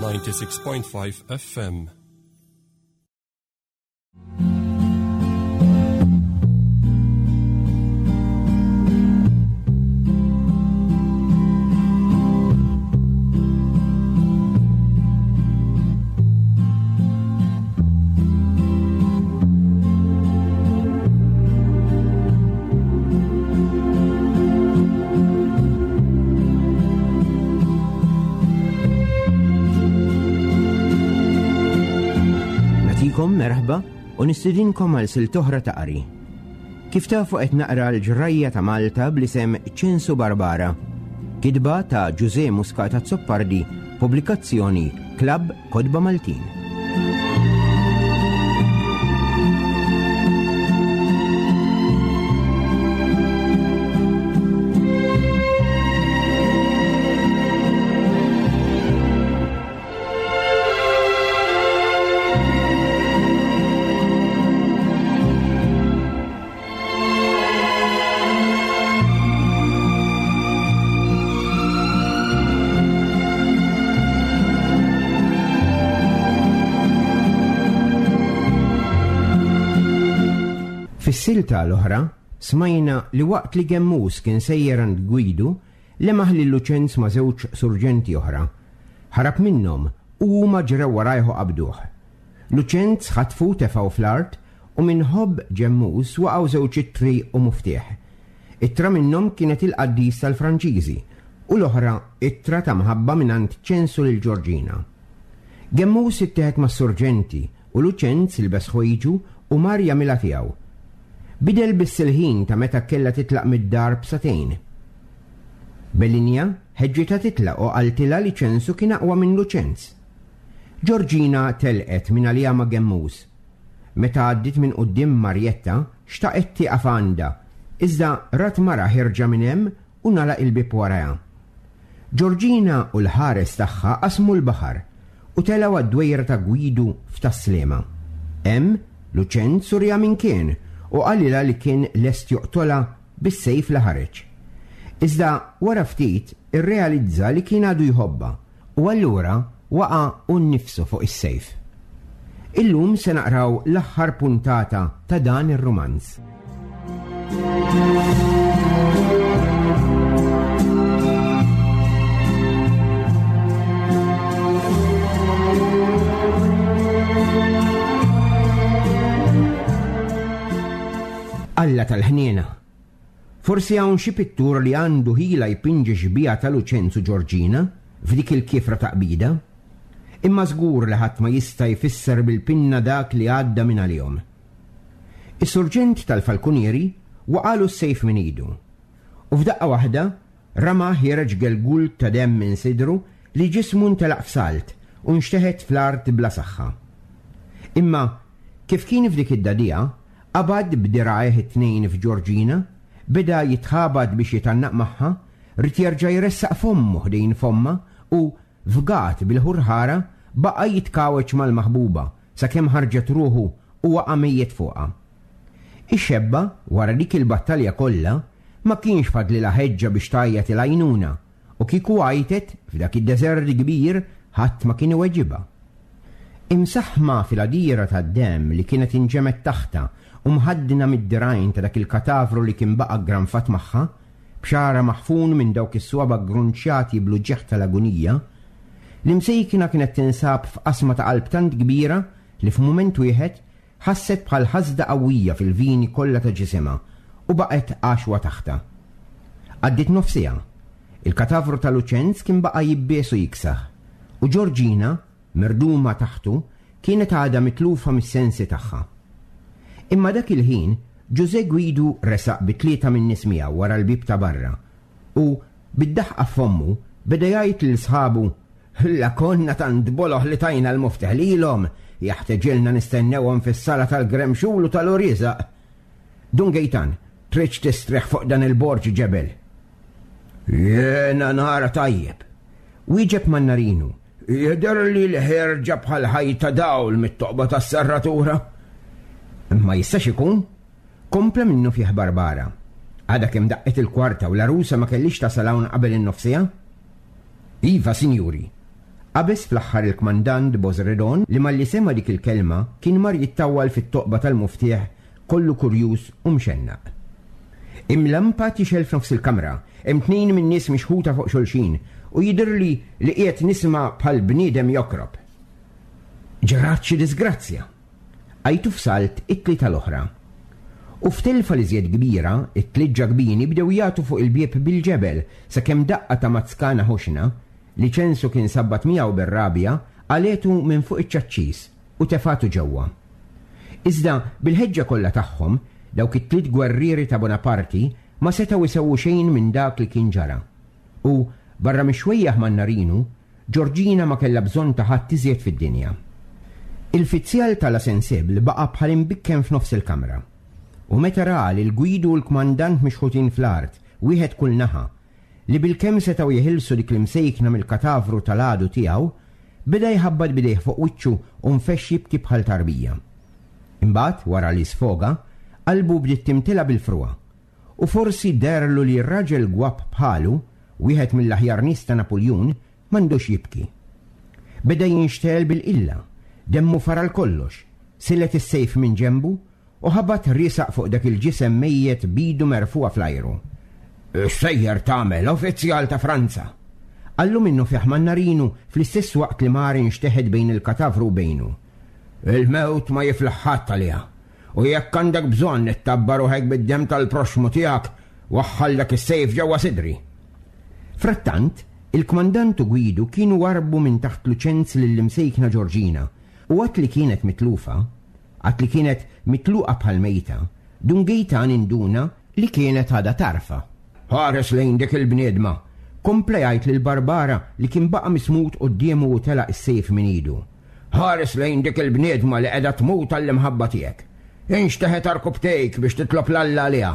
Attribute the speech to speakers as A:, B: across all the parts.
A: 96.5 FM.
B: Natikom merħba u nistidinkom għal siltoħra ta' qari. Kif tafu qed naqra l-ġrajja ta' Malta bl-isem Ċensu Barbara. Kitba ta' Ġuże Muscat Azzopardi, pubblikazzjoni Klabb Kotba Maltin. Fis-silta l-oħra, smajna li waqt li Gemmus kien sejjer għand Gwidu, lemaħ lil Luċenz ma' żewġ surġenti oħra. Ħarab minnhom u huma ġrew warajh u qabduh. Luċenz ħatfu u tefgħu fl-art u minn ħobb Ġemmus waqgħu żewġ ittri u muftieħ. Ittra minnhom kienet il-qaddis tal-Franċiżi u l-oħra ittra ta' mħabba mingħand Ċensu lil Ġorġina. Gemmus ittieħed mas-surġenti u Luċenz ilbes ħwejġu u mar jagħmilha tiegħu. Bidel biss il-ħin ta' meta kellha titlaq mid-dar b'sagħtejn. Belinja ħeġġitha titlaq u qaltilha li Ċensu kien aqwa minn Luċenz. Ġorġina telqet mingħaliha ma' Gemmus. Meta għaddiet minn quddiem Marjetta, xtaqet tieqaf għandha, iżda rat mara ħierġa minn hemm u ngħalaq il-bieb warajha. Ġorġina u l-ħares tagħha qasmu l-baħar u telgħu għad-dwejra ta' Gwidu f'Tas-Sliema. Hemm, Luċenz uriha min kien u qalilha li kien lest joqtolha bis-sejf li ħareġ. Iżda wara ftit irrealizza li kien għadu jħobbha U allura waqa' hu nnifsu fuq is-sejf. Illum se naqraw l-aħħar puntata ta' dan ir-rumanz. Alla tal-ħniena! Forsi hawn xi pittur li għandu ħila jpinġi xbieha ta' Luċenzu Ġorġina f'dik il-kiefra taqbida. Imma żgur li ħadd ma jista' jfisser bil-pinna dak li għadda minn għalihom. Is-surġent tal-falkunieri waqagħlu s-sejf minn idu. U f'daqqa waħda rama ħiereġ gelgul ta' demm minn sidru li ġismu ntelaq f'salt u nxteħet fl-art bla saħħa. Imma kif kien f'dik id-dagħdigħa, Qabad b'dirgħajh it-tnejn f'Ġorġina, beda jitħabat biex jitgħannaq magħha, ried jerġa' jressaq fommu ħdejn fommha u, fgat bil-ħurħara, baqa' jitkawweġ mal-maħbuba sakemm ħarġet ruħu u waqa' mejjet fuqha. Ix-xebba, wara dik il-battalja kollha, ma kienx fadlilha ħeġġa biex tgħajjat il-għajnuna u kieku għajtet, f'dak id-deżert kbir ħadd ma kien iweġibha. Imsaħħma fil-għadira tad-demm li kienet inġemgħet taħtha u mħaddna mid-dirgħajn ta' dak il-katavru li kien baqa' ggranfat magħha, b'xagħarha maħfun minn dawk is-swaba' ggrunċjati bl-uġigħ tal-agunija, l-imsejkna kienet tinsab f'qasma ta' qalb tant kbira li f'mument wieħed Ħasset bħal ħasda qawwija fil-vini kollha ta' ġisimha u baqgħet għaxwa taħtha. Għaddiet nofs siegħa. Il-katavru ta' Luċenz kien baqa' jibbies u jiksaħ, u Ġorġina, mirduma taħtu, kienet għadha mitlufa mis-sensi tagħha. Imma dak il-ħin, Ġużè Gwidu resaq bi tlieta min-nies miegħu wara l-bieb ta' barra u, bid-daħqa f'fommu, beda jgħid lil sħabu, La konna tant boloh li tajna l-muftieħ lilhom, jaħteġilna nistennewhom fis-sala tal-gremxul u tal-uriżaq. Dun Gejtan, tridx tistrieħ fuq dan il-borġ ġebel? Jiena nara tajjeb. Wieġeb Mannarinu, jidhirli li ħierġa bħal ħajta dawl mit-toqba tas-serratura. Imma jistax ikun? Kompla minnufih Barbara. Għadha kemm daqqet il-kwarta u l-għarusa ma kellhiex tasal hawn qabel in-nofsiegħa? Iva, sinjuri. Qabeż fl-aħħar il-kmandant Bosredon li malli sema' dik il-kelma kien mar jittawwal fit-toqba tal-muftieħ kollu kurjuż u mxennaq. Hemm lampa tixgħel f'nofs il-kamra, hemm tnejn min-nies mixħuta fuq xulxin u jidhirli li qiegħed nisma' bħal bniedem jokrob. Ġrat xi diżgrazzja! Għajtu f'salt it-tlieta l-oħra. U f'telfa l-iżjed kbira, it-tliet ġakbini bdew jagħtu fuq il-bieb bil-ġebel sakemm daqqa ta' mazzkana ħoxna, li Ċensu kien sabbat miegħu bir-rabja, qalgħetu minn fuq iċ-ċaċċis u tefgħatu ġewwa. Iżda, bil-ħeġġa kollha tagħhom, dawk it-tliet gwerrieri ta' Bonaparti ma setgħu jsewwu xejn minn dak li kien ġara. U, barra mix-xwejjaħ Mannarinu, Ġorġina ma kellha bżonn ta' ħadd iżjed fid-dinja. Il-fizzjal ta' La Sensible baqa' bħal imbikkem f'nofs il-kamra. U meta ra lil Gwidu u l-kmandant mixħutin fl-art, wieħed kull naħa, li bilkemm setgħu jeħilsu dik l-imsejkna mill-katavru tal-għadu tiegħu, beda jħabbat b'idejh fuq wiċċu u nfexx jibki bħal tarbija. Imbagħad, wara li sfoga, qalbu bdiet timtela bil-frugħa. U forsi deherlu li raġel gwapp bħalu, wieħed mill-aħjar nies ta' Napuljun, m'għandux jibki. Beda jinxtegħel bil-qilla, demmu far għal kollox, silet is-sejf minn ġenbu u ħabat riesaq fuq dak il-ġisem mejjet b'idu merfugħa fl-ajru. X'sejjer tagħmel, uffiċjal ta' Franza? Qallu minnufih Mannarinu fl-istess waqt li mar inxteħet bejn il-katavru u bejnu. Il-mewt ma jiflaħ ħadd għaliha. U jekk għandek bżonn ittabba' ruħek bid-demm tal-proxxmu tiegħek, waħħal dak is-sejf ġewwa sidri. Frattant, il-kmandant u Gwidu kienu warrbu minn taħt Luċenz lill-imsejkna Ġorġina, u għad li kienet mitlufa, għad li kienet mitluqa bħal mejta, Dun Gejtan induna li kienet għadha tarfa. Ħares lejn dik il-bniedma! kompla jgħid lil Barbara li kien baqa' mismut quddiemu u telaq is-sejf minn idu. Ħares lejn dik il-bniedma li qiegħda tmut għall-imħabba tiegħek. Inxteħet għarkupptejk biex titlob 'l Alla għaliha.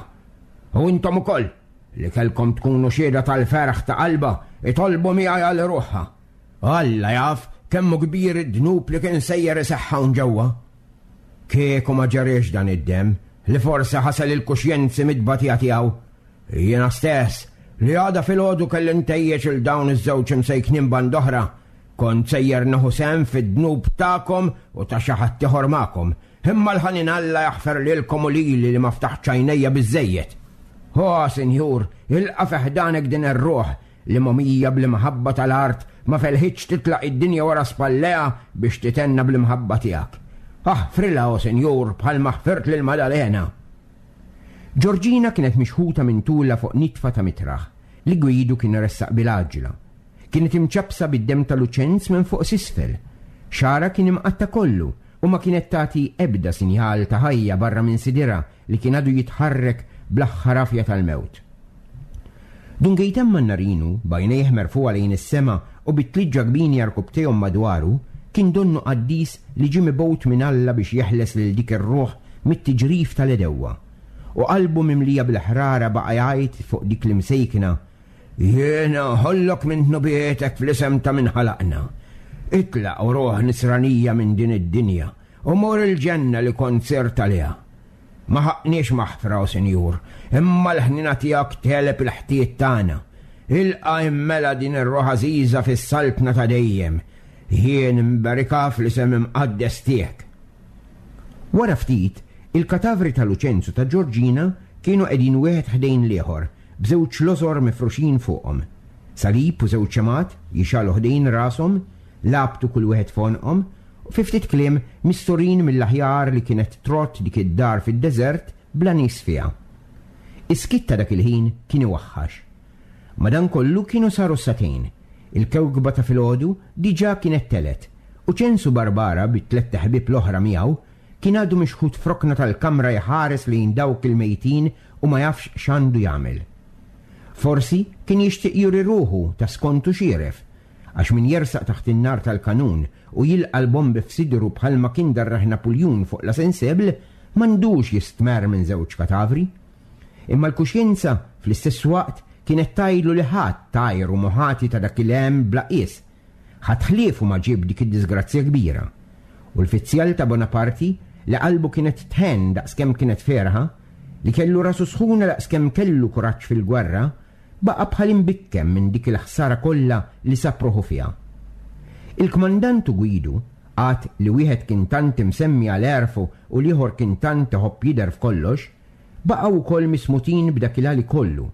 B: U intom ukoll, li kellkom tkunu xhieda tal-ferħ ta' qalbha, itolbu miegħi għal ruħha. Alla jaf kemm hu kbir id-dnub li kien sejjer iseħħ hawn ġewwa. Kieku ma ġeriex dan id-demm, li forsi ħasel il-kuxjenzi mit-tbatija tiegħu, jiena stess, li għada filgħodu kelli ntejjeġ 'il dawn iż-żewġ imsejknin band'oħra, Kont sejjer nieħu sehem fid-dnub tagħkom u ta' xi ħadd ieħor magħkom, imma l-ħanin Alla jaħfer lilkom u lili li ma ftaħtx għajnejja biżżejjed. O, Sinjur, ilqa' fi ħdanek din ir-ruħ li mogħmija bl-imħabba tal-art ma felħitx titlaq id-dinja wara spallejha biex tithenna bl-imħabba tiegħek. Aħfrilha, o Sinjur, bħalma ħfirt lil Madalena. Ġorġina kienet mixħuta minn tulha fuq nitfa ta' mitraħ li Gwidu kien ressaq bil-għaġġla. Kienet imċappsa bid-demm ta' Luċenz minn fuq s'isfel. Xagħarha kien imqatta' kollu u ma kienet tagħti ebda sinjal ta' ħajja barra minn sidirha li kien għadu jitħarrek bl-aħħar għafja tal-mewt. Dun Gejtan Mannarinu, b'għajnejh merfugħa lejn is-sema u bit-tliet ġakbini għarkupptejhom madwaru, kien donnu qaddis li ġie mibgħut minn Alla biex jeħles lil dik ir-ruħ mit-tiġrif tal-għedewwa. U qalbu mimlija bil-ħrara baqa' jgħid fuq dik l-imsejkna Jiena nħollok minn dnubietek fl-isem ta' min ħalaqna. Itlaq, o ruħ nisranija minn din id-dinja, u mur il-ġenna li kont sirt għaliha. Ma ħaqqniex maħfra, o Sinjur, imma l-ħniena tiegħek tegħleb il-ħtijiet tagħna. Ilqa' immela din ir-ruħ għażiża fis-saltna ta' dejjem. Jien inberikha fl-isem imqaddes tiegħek. Wara ftit, il-katavri ta' Luċenz u ta' Ġorġina kienu qegħdin wieħed ħdejn l-ieħor, b'żewġ lożor mifruxin fuqhom. Salib u żewġ xemgħat jixgħalu ħdejn rashom, labtu kull wieħed f'għonqhom, u fi ftit kliem misturin mill-aħjar li kienet trodd dik id-dar fid-deżert bla nies fiha. Is-skiet ta' dak il-ħin kien iwaħħax. Madankollu kienu saru s-sagħtejn. Il-kewkba ta' filgħodu diġà kienet telgħet, u Ċensu Barbara bit-tlett iħbieb l-oħra miegħu kien għadu mixħut f'rokna tal-kamra jħares lejn dawk il-mejtin u ma jafx x'għandu jagħmel. Forsi kien jixtieq juri ruħu ta' skontu xieref, għax min jersaq taħt in-nar tal-kanun u jilqa' l-bombi f'sidru bħalma kien darrah Napuljun fuq La Sensible m'għandux jistmerr minn żewġ katavri. Imma l-kuxjenza, fl-istess waqt, kienet tgħidlu li ħadd għajru mhu ħati ta' dak il-hemm bla qies. Ħadd ħliefu ma ġieb dik id-diżgrazzja kbira. U l-fizzjal ta' Bonaparti, li qalbu kienet tħenn daqskemm kienet ferħa, li kellu rasu sħuna daqskemm kellu kuraġġ fil-gwerra, baqa' bħal imbikkem minn dik il-ħsara kollha li sab ruħu fiha. Il-kmandant u Gwidu, għad li wieħed kien tant imsemmi għal għerfu u l-ieħor kien tant iħobb jidher f'kollox, baqgħu wkoll mismutin b'dak il-għali kollu.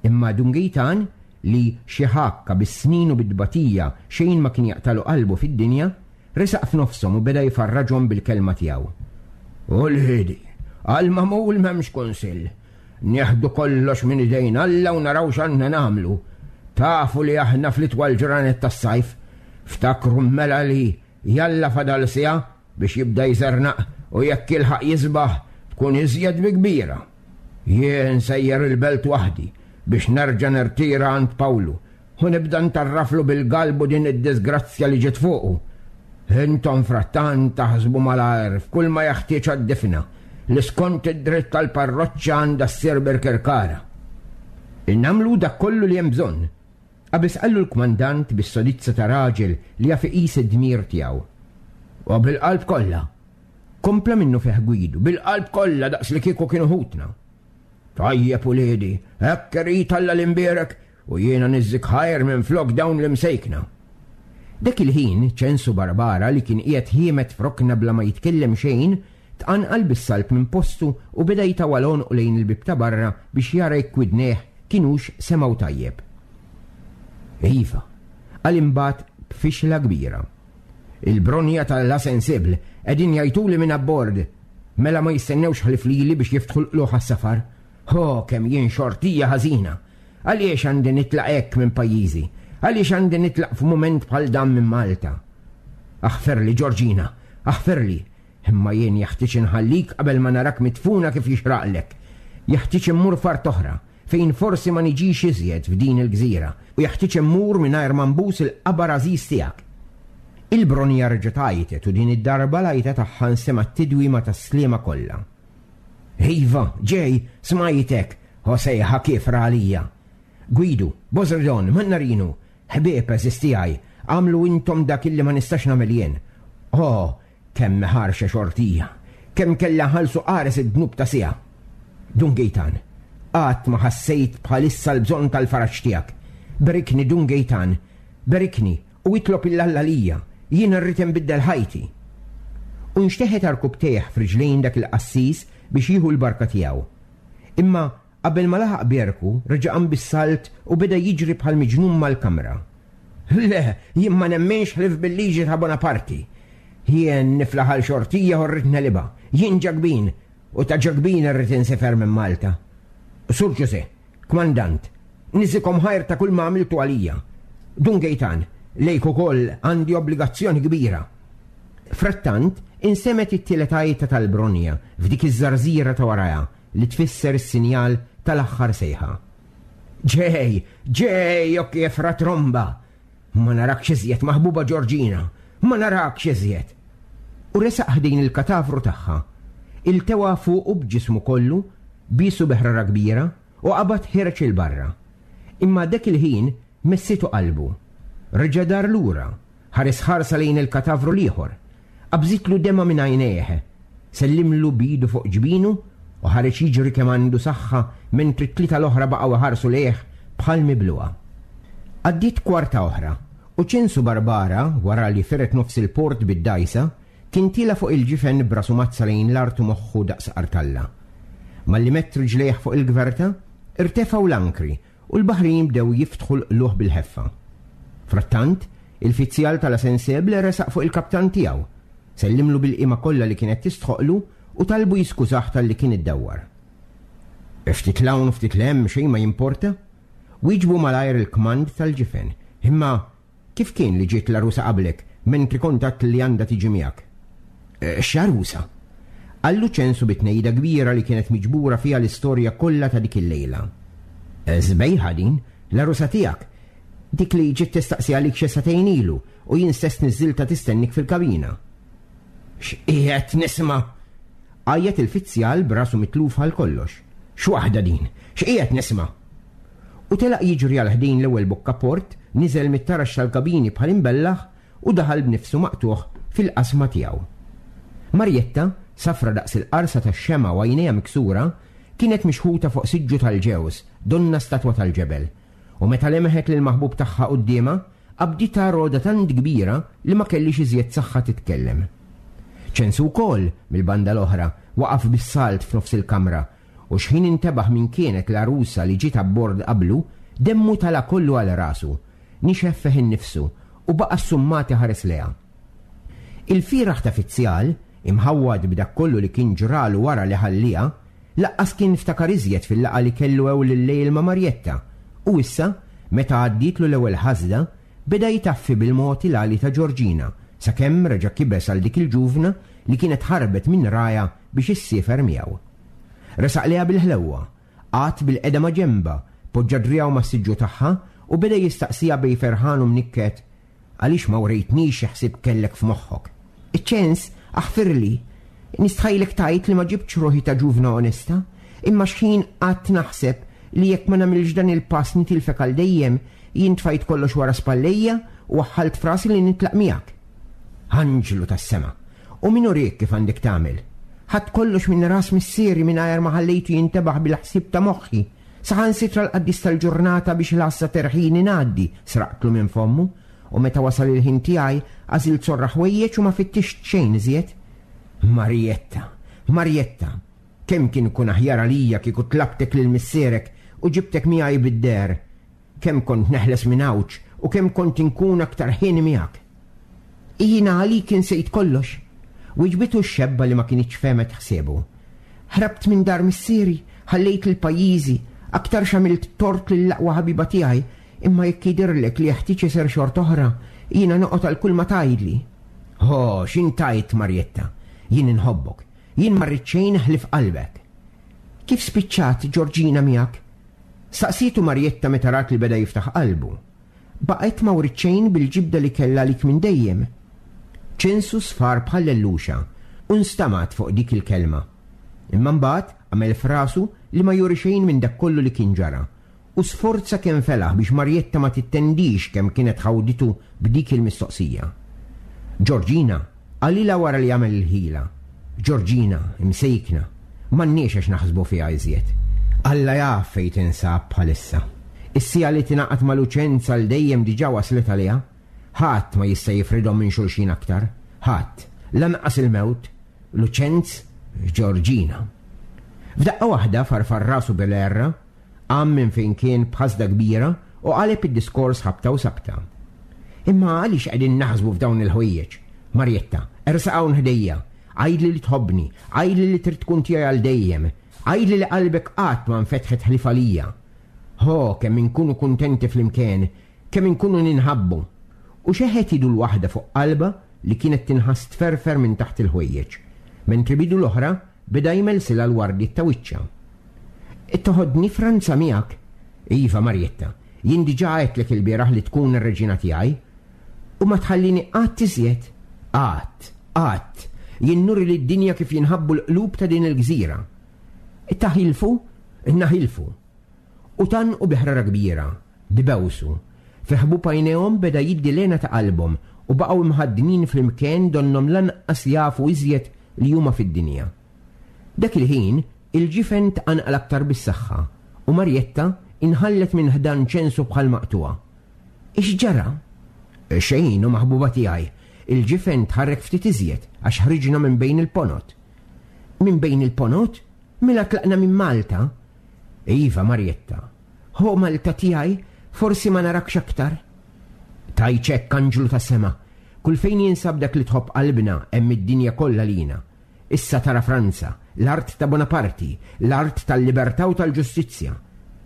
B: Imma Dun Gejtan, li xi ħakka bis-snin u bit-tbatija xejn ma kien jaqtagħlu qalbu fid-dinja, resaq f'nofshom u beda jfarraġhom bil-kelma tiegħu. Uliedi, għall-magħmul m'hemmx kunsill. Nieħdu kollox minn idejn Alla u naraw x'għandna nagħmlu. Tafu li aħna fl-itwal ġranet tas-sajf. Ftakru mela li jalla fadal siegħa biex jibda jżernaq u jekk jilħaq jisbaħ tkun iżjed bi kbira. Jien sejjer il-belt waħdi biex nerġa' nirtira għand Pawlu u nibda ntarraflu bil-galbu din id-diżgrazzja li ġiet fuqu. Intom frattant taħsbu malajr f'kull ma jeħtieġ għad-difna, li skont id-dritt tal-parroċċa għandha ssir Birkirkara. Nagħmlu dak kollu li hemm bżonn, qabeż qallu l-kmandant bis-sodizza ta' raġel li jaf iqis id-dmir tiegħu. U bil-qalb kollha, kompla minnufih Gwidu, bil-qalb kollha daqs li kieku kienu ħutna. Tajjeb uliedi, hekk irid Alla l-imbierek U jiena niżżik ħajr minflok dawn l-imsejkna. Dak il-ħin, Ċensu Barbara li kien qiegħed ħiemed f'rokna bla ma jitkellem xejn, tqanqal bis-salb minn postu u beda jtawwal għonqu lejn il-bieb ta' barra biex jara jekk widnejh kinux semgħu tajjeb. Iva, qal imbagħad b'fixla kbira. Il-bronja ta' La Sensible qegħdin jgħajtuli minn abbord. Mela ma jistennewx ħlief lili biex jiftħu l-qlugħ għas-safar. Ho, kemm jien xortija ħażina! Għaliex għandi nitlaq hekk minn pajjiżi? Għaliex għandi nitlaq f'mument bħal dan minn Malta? Aħferli, Ġorġina, aħferli, imma jien jeħtieġ inħallik qabel ma narak midfuna kif jixraqlek. Jeħtieġ immur f'art oħra, fejn forsi ma niġix iżjed f'din il-gżira, u jeħtieġ immur mingħajr ma nbus il-qabar għażiż tiegħek. Il-Bronja reġgħet għajtet u din id-darba l-għajta tagħha nsemgħet tidwi ma' tas-Sliema kollha. Iva, ġej, smajtek, O sejħa kiefra għalija! Gwidu, Bosredon, Mannarinu, ħbieb għeżież tiegħi, agħmlu intom dak illi ma nistax nagħmel jien. O, kemm hi ħarxa xortija! Kemm kellha nħallsu qares id-dnub ta' siegħa! Dun Gejtan, qatt ma ħassejt bħal issa l-bżonn tal-faraġ tiegħek. Berikni, Dun Gejtan, berikni u itlob 'il Alla għalija, jien irrid inbiddel ħajti. U nxteħet għarkupptejh f'riġlejn dak il-qassis biex jieħu l-barka tiegħu. Imma qabel ma laħaq bierku, reġa' qam bis-salt u beda jiġri bħal miġnun mal-kamra. Le, jien ma nemminx ħlief bil-liġi ta' Bonaparti. Jien niflaħ għal xortija u rrid negħlibha. Jien Ġakbin, u ta' Ġakbin irrid insifer minn Malta. Sur Ġużè, kmandant, niżikom ħajr ta' kull ma għamiltu għalija. Dun Gejtan, lejk ukoll għandi obbligazzjoni kbira. Frattant, insemgħet it-tielet għajta tal-bronja f'dik iż-żarżira ta' warajha li tfisser is-sinjal tal-aħħar sejħa. Ġej! Ġej, o kiefra tromba! Ma narakx iżjed, maħbuba Ġorġina! Ma narakx iżjed! U resaq ħdejn il-katavru tagħha. Iltewa fuqu b'ġismu kollu, biesu bi ħrara kbira, u qabad ħiereġ 'il barra. Imma dak il-ħin messitu qalbu. Reġa' dar lura Ħares ħarsa lejn il-katavru l-ieħor. Qabżitlu demgħa minn għajnejh. Sellimlu b'idu fuq ġbinu u ħareġ jiġri kemm għandu saħħa mentri t-tlieta l-oħra baqgħu iħarsu lejh bħal miblugħa. Għaddiet kwarta oħra u Ċensu Barbara, wara li firet nofs il-port bid-dgħajsa, kien tiela' fuq il-ġifen b'rasu mazza lejn l-art u moħħu daqs qartalla. Malli medd riġlejh fuq il-gverta, irtefgħu l-ankri U l-baħrin bdew jiftħu l-qlugħ bil-ħeffa. Frattant, il-fizzjal ta' La Sensible resaq fuq il-kaptan tiegħu, sellimlu bil-qima kollha li kienet tistħoqqlu u talbu jiskużah talli kien iddawwar. Ftit 'l hawn u ftit 'l hemm xejn ma jimporta, wieġbu malajr il-kmand tal-ġifen, imma Kif kien li ġiet l-għarusa qablek, mentri kont għedt li għandha tiġi miegħek? X'għarusa? Qallu Ċensu bi tnejda kbira li kienet miġbura fiha l-istorja kollha ta' dik il-lejla. Sbejħa din, l-għarusa tiegħek. Dik li ġiet tistaqsi għalik xi sagħtejn ilu u jien stess niżżiltha tistennik fil-kabina. X'qiegħed nisma'? Għajjat il-fizzjal b'rasu mitluf għal kollox. X'waħda din? X'qiegħed nisma'? U telaq jiġri għal ħdejn l-ewwel bokka port, niżel mit-taraġ tal-kabini bħal imbellaħ u daħal b'nifsu maqtugħ fil-qasma tiegħu. Marjetta, safra daqs il-qarsa tax-xemgħa u għajnejha miksura, kienet mixħuta fuq siġġu tal-ġewż, donnha statwa tal-ġebel. U meta lemħet lill-maħbub tagħha quddiemha, qabditha rogħda tant kbira li ma kellhiex iżjed saħħa titkellem. Ċensu wkoll, mill-banda l-oħra, waqaf bis-salt f'nofs il-kamra u xħin intebaħ min kienet l-għarusa li ġiet abbord qablu, demmu tala' kollu għal rasu, nixef fih innifsu u baqa' ssummat iħares lejha. Il-fieragħ ta' fizzjal, imħawwad b'dak kollu li kien ġralu wara li ħallieha, Laqqas kien ftakar iżjed fil-laqgħa li kellu ewl il-lejl ma' Marjetta, u issa, meta għaddietlu l-ewwel ħasda, beda jtaffi bil-mod il-għali ta' Ġorġina, sakemm reġa' kibes għal dik il-ġuvna li kienet ħarbet minn rajha biex issiefer miegħu. Resaq lejha bil-ħlewwa, qagħad bilqiegħda ma' ġenbha, poġġa driegħu mas-siġġu tagħha u beda jistaqsiha bejn ferħan u mnikket, Għaliex ma wrejtnix xi ħsieb kellek f'moħħok? Iċ-ċens, aħfirli. Nistħajlek tgħid li ma ġibtx ruħi ta' ġuvna onesta, imma x'ħin qgħadt naħseb li jekk ma nagħmilx dan il-pass nitilfek għal dejjem, jien tfajt kollox wara spallejja u waħħalt f'rasi li nitlaq miegħek. Anġlu tas-sema! U min uriek kif għandek tagħmel? Ħadt kollox minn ras missieri mingħajr ma ħallejtu jintebaħ bil-ħsieb ta' moħħi. Saħansitra l-qaddis tal-ġurnata biex l-għassa terħini ngħaddi, sraqtlu minn fommu, u meta wasal il-ħin tiegħi għażilt sorra ħwejjeġ u ma fittixt xejn iżjed. Marietta, Marietta, kemm kien ikun aħjar għalija kieku tlabtek lil missierek u ġibtek miegħi bid-deher. Kemm kont neħles minn għawġ u kemm kont inkun aktar ħieni miegħek. Jiena għalik insejt kollox. Wiġbitu x-xebba li ma kinitx fehmet ħsiebu. Ħrabt minn dar missieri, ħallejt lil pajjiżi, aktarx għamilt tort lill-aqwa ħabiba tiegħi, imma jekk jidhirlek li jeħtieġ isir xort'oħra, jiena noqgħod għal kull ma tgħidli. Ho, x'int tgħid, Marjetta? Jien inħobbok. Jien ma rrid xejn ħlief qalbek. Kif spiċċat Ġorġina miegħek? Staqsietu Marjetta meta rat li beda jiftaħ qalbu. Baqgħet ma wriet xejn bil-ġibda li kellha għalik minn dejjem. Ċensu sfar bħal lelluxa u nstamat fuq dik il-kelma. Imma mbagħad għamel f'rasu li ma juri xejn minn dak kollu li kien ġara u sforza kemm felaħ biex Marjetta ma tittendix kemm kienet ħawditu b'dik il-mistoqsija. Ġorġina, qalilha wara li għamel il-ħila. Ġorġina, imsejkna, m'għandniex għax naħsbu fiha iżjed. Alla jaf fejn tinsab bħalissa. Is-siegħa li tingħaqad ma' Luċenza għal dejjem diġà waslet għaliha. Ħadd ma jista' jifridhom minn xulxin aktar. Ħadd. Lanqas il-mewt. Luċenz, Ġorġina. F'daqqa waħda farfar rasu bil-għerra, qam minn fejn kien b'ħasda kbira u qaleb id-diskors ħabta u sabta. Imma għaliex qegħdin naħsbu f'dawn il-ħwejjeġ? Marjetta, ersaq hawn ħdejja. Għidli li tħobbni, għidli li trid tkun tiegħi għal dejjem, għidli li qalbek qatt ma nfetħet ħlief għalija. Ho, kemm inkunu kuntenti flimkien, kemm inkunu ninħabbu! U xeħet idu l-waħda fuq qalbha li kienet tinħass tferfer minn taħt il-ħwejjeġ, mentri b'idu l-oħra beda jmelsilha l-wardiet ta' wiċċha. Toħodni Franza miegħek? Iva, Marjetta, jien diġà għedtlek ilbieraħ li tkun ir-reġina tiegħi. U ma tħallini qatt iżjed? Qatt, qatt! Jien nuri lid-dinja kif jinħabbu l-qlub ta' din il-gżira. Taħilfu? Naħilfu. U tgħannqu bi ħrara kbira, dbewsu. Fi ħbub għajnejhom beda jiddi l-hena ta' qalbhom u baqgħu mħaddnin flimkien donnhom lanqas jafu iżjed li huma fid-dinja. Dak il-ħin, il-ġifen tqanqal aktar bis-saħħa u Marjetta inħallet minn ħdan ċensu bħal maqtugħa. X'ġara? Xejn, o maħbuba tiegħi, il-ġifen tħarrek ftit iżjed għax ħriġna minn bejn il-ponot. Minn bejn il-ponot? Mela tlaqna minn Malta? Iva, Marjetta. Ho Malta tiegħi, forsi ma narakx aktar. Tgħidx hekk, anġlu tas-sema. Kull fejn jinsab dak li tħobb qalbna, hemm id-dinja kollha lina. Issa tara Franza, l-art ta' Bonaparti, l-art tal-libertà u tal-ġustizzja.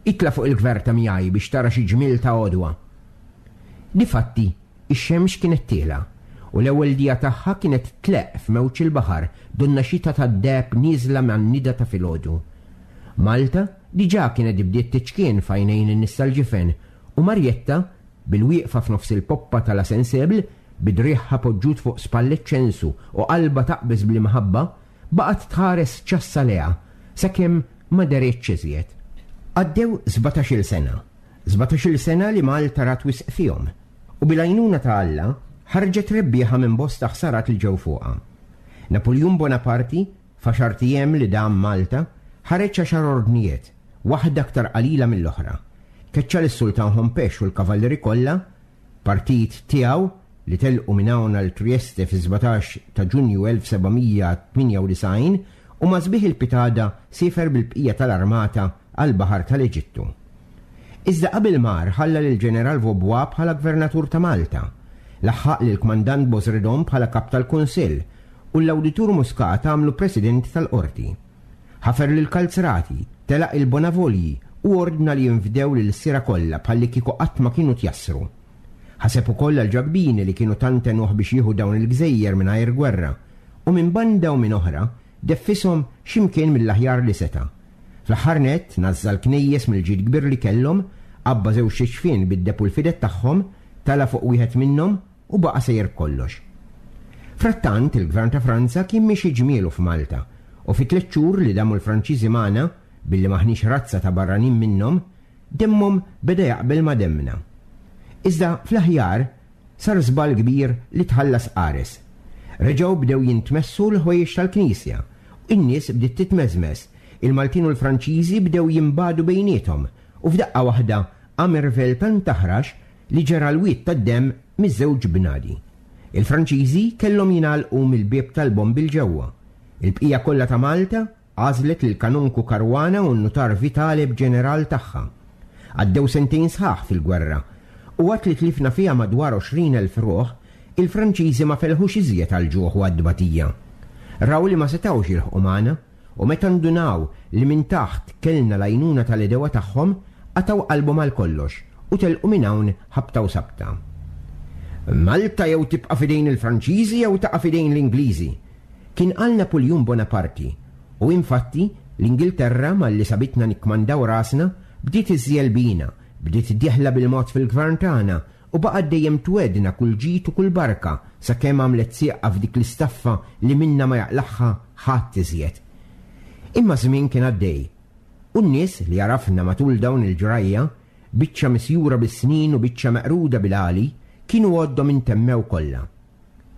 B: Itla' fuq il-gverta miegħi biex tara xi ġmiel ta' għodwa. Difatti, Ix-xemx kienet tielgħa, u l-ewwel dija tagħha kienet tleqq f'mewġ il-baħar donnha xita tad-deheb nieżla man-nida ta' filgħodu. Malta diġà kienet bdiet tiċkien f'għajnejn in-nies tal-ġifen u Marjetta, bilwieqfa f'nofs il-poppa ta' La Sensible, bi driegħha poġġut fuq spallet ċensu u qalbha taqbeż bl-imħabba, baqgħet tħares ċassa lejha sakemm ma deritx iżjed. Għaddew sbatax-il sena. Sbatax-il sena li Malta rat wisq fihom. U bil-għajnuna ta' Alla, ħarġet rebbieħa minn bosta ħsarat li ġew fuqha. Napuljun Bonaparti, f'għaxart ijiem li dam Malta, ħareġ għaxar ordnijiet, waħda aktar qalila mill-oħra. Keċċa lis-Sultan Hompesch u l-kavallieri kollha, Il-partit tiegħu, li telqu minn hawn għal Trieste fis-17 ta' Ġunju 1798, u ma' sbieħ il-pitada siefer bil-bqija tal-armata għall-baħar tal-Eġittu. Iżda qabel mar ħalla lill-Ġeneral Vaubois bħala Gvernatur ta' Malta, laħħaq lill-Kmandant Bosredon bħala Kap tal-Kunsill u l-Awditur Muscat għamlu President tal-Qorti. Ħafer lill-kalzrati, telaq il-Bonavolji u ordna li jinfdew lill-lsiera kollha bħallikieku qatt ma kienu tjassru. Ħaseb ukoll għall-Ġakbini li kienu tant għenuh biex jieħu dawn il-gżejjer mingħajr gwerra, u minn banda u minn oħra deffishom xi mkien mill-aħjar li seta'. Fl-aħħar nett, nażża' l-knejjes mill-ġid kbir li kellhom, għabba żewġt iġfien bid-deheb u l-fided tagħhom, tala' fuq wieħed minnhom u baqa' sejjer b'kollox. Frattant, il-Gvern ta' Franza kien miexi ġmielu f'Malta, u fi tlett xhur li damu l-Franċiżi magħna, billi m'aħniex razza ta' barranin minnhom, Demmhom beda jaqbel ma' demmna. Iżda fl-aħjar sar żball kbir li tħallas qares. Reġgħu bdew jintmessu l-ħwejjeġ tal-knisja, in-nies bdiet titmeżmeż, il-Maltin u l-Franċiżi bdew jinbagħdu bejniethom u f'daqqa waħda qam irvell tant aħrax li ġera l-wied tad-demm miż-żewġ bnadi. Il-Franċiżi kellhom jingħalqu mill-bieb tal-bombi 'l ġewwa. Il-bqija kollha ta' Malta Għażlet lill-Kanonku Caruana u n-Nutar Vitale b'ġeneral tagħha. Għaddew sentejn sħaħ fil-gwerra, u waqt li tlifna fiha madwar 20,000 ruħ, il-Franċiżi ma felħux iżjed għall-ġuħ u għat-tbatija. Raw li ma setgħux jilħqu magħna, u meta ndunaw li minn taħt kellna l-għajnuna tal-għedewwa tagħhom, qatgħu qalbhom għal kollox u telqu minn hawn ħabta u sabta. Malta jew tibqa' f'idejn il-Franċiżi jew taqa' f'idejn l-Ingliżi! Kien qal Napuljun Bonaparti, u infatti, l-Ingilterra, malli sabitna nikkmandaw rasna, bdiet iżżiegħel bina, bdiet dieħla bil-mod fil-gvern tagħna u baqgħet dejjem twegħdna kull ġid u kull barka sakemm għamlet sieqha f'dik l-istaffa li minnha ma jaqlagħha ħadd iżjed. Imma ż-żmien kien għaddej, u n-nies li għarafna matul dawn il-ġrajja, biċċa misjura bis-snin u biċċa meqruda bil-għali, kienu għoddhom intemmew kollha.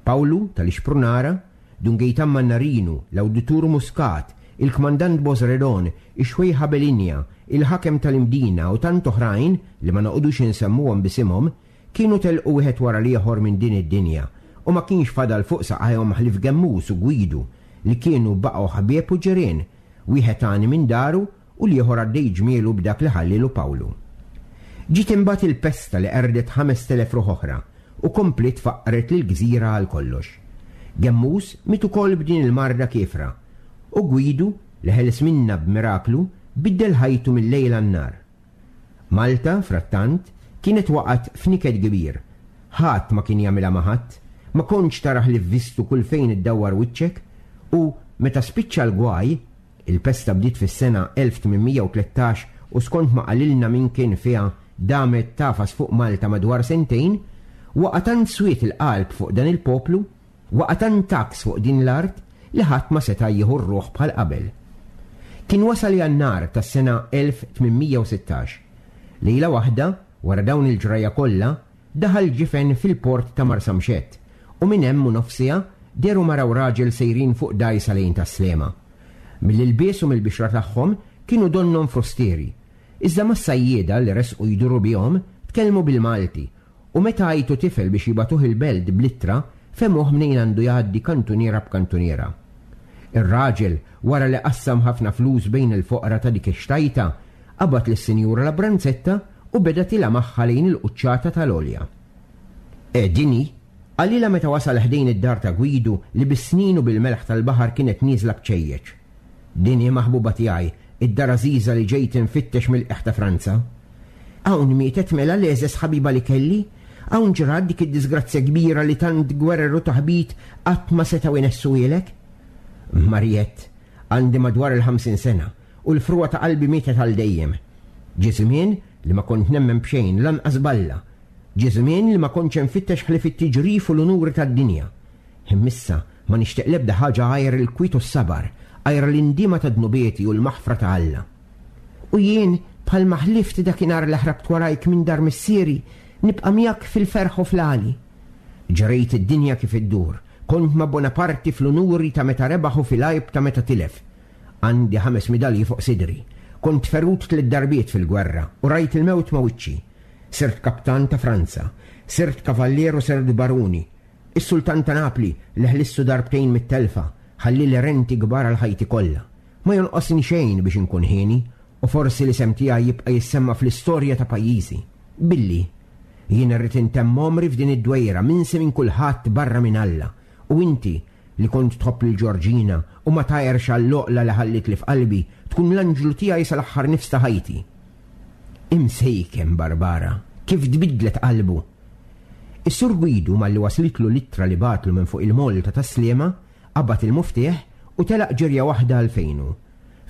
B: Pawlu tal-Ixprunara, Dun Gejtan Mannarinu, l-Awditur Muscat, il-Kmandant Bosredon, ix-Xwejħa Belinja, il-Ħakem tal-Imdina u tant oħrajn li ma noqogħdux insemmuhom b'isimhom, kienu telqu wieħed wara l-ieħor minn din id-dinja u ma kienx fadal fuq saqajhom ħlief Gemmus u Gwidu li kienu baqgħu ħbieb u ġirien, wieħed għani minn daru u l-ieħor għaddej ġmielu b'dak li ħallielu Pawlu. Ġiet imbagħad il-pesta li qerdet 5,000 ruħ oħra u kompliet faqqret lill-gżira għal kollox. Gemmus miet ukoll b'din il-marda kiefra u Gwidu, li ħeles minnha b'miraklu, biddel ħajtu mil-lejl għan-nhar. Malta, frattant, kienet waqgħet f'niket kbir. Ħadd ma kien jagħmilha ma' ħadd, ma kontx tara ħlief vistu kull fejn iddawwar wiċċek u, meta spiċċa l-gwaj, Il-pesta bdiet fis-sena 1813 u skont ma qalilna min kien fiha damet tagħfas fuq Malta madwar sentejn, waqa' tant swied il-qalb fuq dan il-poplu, waqa' tant għaks fuq din l-art li ħadd ma seta' jieħu r-ruħ bħal qabel. Kien wasal Jannar tas-sena 1816. Lejla waħda, wara dawn il-ġrajja kollha, Daħal ġifen fil-port ta' Marsamxett u minn hemm u nofs siegħa dehru mara u raġel sejrin fuq dgħajsa lejn Tas-Sliema. Mill-ilbies u mill-bixra tagħhom kienu donnhom frustieri. Iżda mas-sajjieda li resqu jduru bihom tkellmu bil-Malti u meta għajtu tifel biex jibagħtuh il-belt bl-ittra fehmuh mnejn għandu jgħaddi kantuniera b'kantuniera. Ir-raġel, wara li qassam ħafna flus bejn il-foqra ta' dik ix-xtajta, qabad lis-Sinjura Labranzetta u beda tiela' magħha lejn il-quċċata tal-għolja. Eh, din hi, qalilha meta wasal ħdejn id-dar ta' Gwidu li bis-snin u bil-melħ tal-baħar kienet nieżla bċejjeċ. Din hi maħbuba tiegħi, id-dar għażiża li ġejt infittex mill-qiegħ ta' Franza. Hawn mietet mela l-egħżeż ħabiba li kelli? Hawn ġrat dik id-diżgrazzja kbira li tant gwerer u taħbit qatt ma setgħu jnessuhielek? Mariette, għandi madwar il-50 sena u l-frugħa ta' qalbi mietet għal dejjem. Ġie żmien li ma kont nemmen b'xejn, lanqas b'Alla. Ġie żmien li ma kontx infittex ħlief it-tiġrif u l-unuri tad-dinja. Imma issa ma nixtieq l-ebda ħaġa għajr il-kwiet u s-sabar, għajr l-indiema ta' dnubieti u l-maħfra ta' Alla. U jien, bħalma ħlift dakinhar li ħrabt warajk minn dar missieri, nibqa' miegħek fil-ferħ u fl-għali. Ġrejt id-dinja kif iddur, kont ma' Bonaparti fl-unuri ta' meta rebaħ u fil-għajb ta' meta tilef. Għandi ħames midalji fuq sidri. Kont ferut tliet darbiet fil-gwerra u rajt il-mewt ma' wiċċi. Sirt kaptan ta' Franza, sirt kavallier u sirt baruni. Is-Sultan ta' Napli, li ħlissu darbtejn mit-telfa, ħallieli renti kbar għal ħajti kollha. Ma jonqosni xejn biex inkun hieni, u forsi l-isem tiegħi jibqa' jissemma fl-istorja ta' pajjiżi. Billi, jien irrid intemm għomri f'din id-dwejra minsi minn kulħadd barra minn Alla, u inti, li kont tħobb lil Ġorġina u ma tgħirx għall-għoqla li ħallietli f'qalbi, tkun l-anġlu tiegħi sal-aħħar nifs ta' ħajti. Imsejken Barbara, kif tbiddlet qalbu! Is-Sur Gwidu malli waslitlu l-ittra li bagħatlu minn fuq il-moll ta' Tas-Sliema, qabad il-muftieħ u telaq ġirja waħda għal fejnu.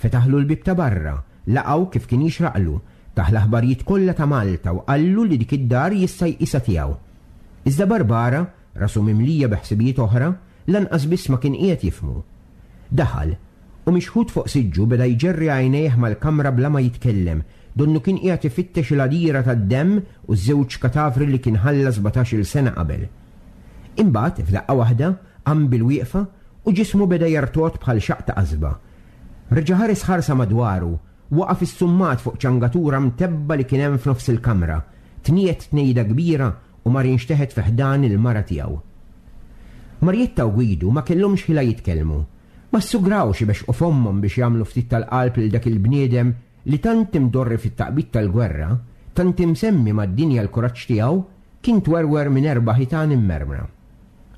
B: Fetaħlu l-bieb ta' barra, laqgħu kif kien jixraqlu, tah l-aħbarijiet kollha ta' Malta u qallu li dik id-dar jista' jqisha tiegħu. Iżda Barbara, rasu mimlija bi ħsibijiet oħra, lanqas biss ma kien qiegħed jifhmu. Daħal, u mixħut fuq siġġu beda jġerri għajnejh mal-kamra bla ma jitkellem, donnu kien qiegħed ifittex il-għadira tad-demm u ż-żewġ katavri li kien ħalla sbatax-il sena qabel. Imbagħad, f'daqqa waħda, qam bil-wieqfa u ġismu beda jertgħod bħal xaqq ta' qasba. Reġa' ħares ħarsa madwaru, waqaf issummat fuq ċangatura mtebba' li kien hemm f'nofs il-kamra, tniegħed tnejda kbira u mar inxteħet fi ħdan il-mara tiegħu. Marjetta u Gwidu ma kellhomx ħila jitkellmu. Ma ssugrawx ibexxqu fommhom biex jagħmlu ftit tal-qalb lil dak il-bniedem li tant imdorri fit-taqbid tal-gwerra, tant imsemmi mad-dinja l-kuraġġ tiegħu, kien twerwer minn erba' ħitan immermra.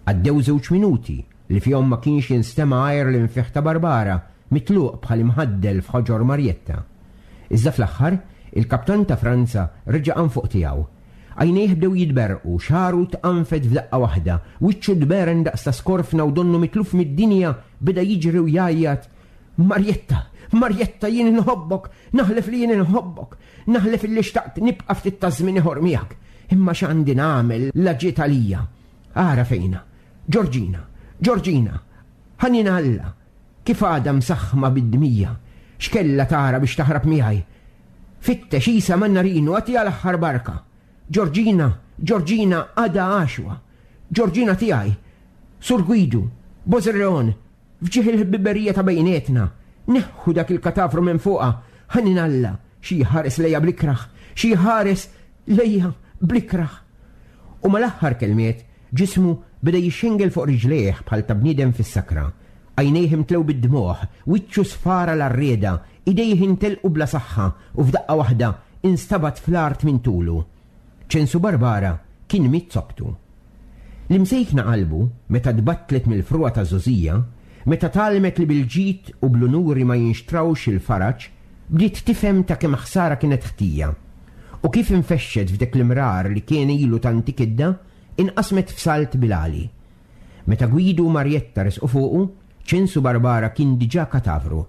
B: Għaddew żewġ minuti li fihom ma kienx jinstema' għajr l-infiħ ta' Barbara mitluq bħal imħaddel f'ħoġor Marjetta. Iżda fl-aħħar, il-kaptan ta' Franza reġa' qam fuq tiegħu. Għajnejh bdew jitberrqu, xagħru tqanfed f'daqqa waħda, wiċċu tberen daqs ta' skorfna u donnu mitluf mid-dinja beda jiġri u jgħajjat, Marjetta! Marjetta, jien inħobbok! Naħlef li jien inħobbok! Naħlef illi xtaqt nibqa' ftit taż-żmien ieħor miegħek! Imma x'għandi nagħmel la ġiet għalija? Ara fejnha! Ġorġina! Ġorġina! Ħanin Alla! Kif għadha msaħħma bid-dmija! X'kellha tara biex taħrab miegħi? Fittex isa man-narinu agħtiha l-aħħar barka. Ġorġina, Ġorġina għadha għaxwa. Ġorġina tiegħi. Sur Gwidu, Bożerleon, f'ġieħ il-ħbiberija ta' bejnietna, neħħu dak il-katavru minn fuqha, ħanin Alla, xi jħares lejja bl-ikrah, xi jħares lejja bl-ikrah. U mal-aħħar kelmiet, ġismu beda jixxengel fuq riġlejh bħal ta' bniedem fis-sakra. Għajnejh imtlew bid-dmugħ, wiċċu sfar għal għarrieda, idejh intelqu bla saħħa u f'daqqa waħda instabat fl-art minn tulu. Ċensu Barbara kien miet zoptu. L-imsejkna qalbu, meta tbattlet mill-frugħa taż-żgħożija, meta tgħallmet li bil-ġid u bl-unuri ma jinxtrawx il-faraġ, bdiet tifhem ta' kemm ħsara kienet ħtija. U kif infexxet f'dek l-imrar li kien ilu tant ikiddha, inqasmet f'salt bil-għali. Meta Gwidu u Marjetta resqu fuqu, Ċensu Barbara kien diġà katavru,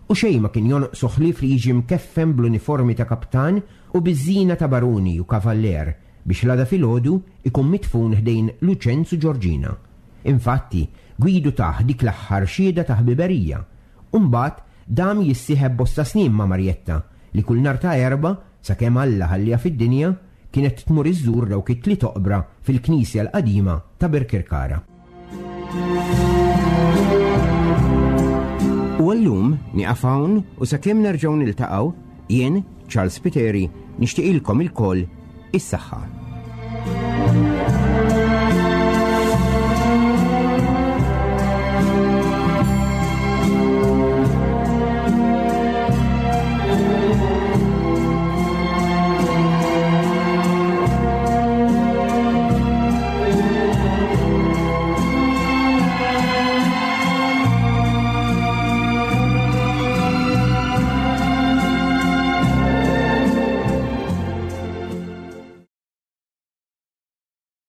B: u xejn ma kien jonqsu ħlief li jiġi mkeffen bl-uniformi ta' kaptan u biż-żina ta' baruni u kavallier biex l-għada filgħodu jkun midfun ħdejn Luċenz u Ġorġina. Infatti, Gwidu tah dik l-aħħar xhieda ta' ħbiberija, u mbagħad dam jissieħeb bosta snin ma' Marjetta li kull nhar ta' Erbgħa, sakemm Alla ħalliha fid-dinja, kienet tmur iżżur dawk it-tliet oqbra fil-knisja l-qadima ta' Birkirkara. U għallum nieqaf hawn u sakemm nerġgħu niltaqgħu, jien, Charles Spiteri, nixtieqilkom ilkoll is-saħħa.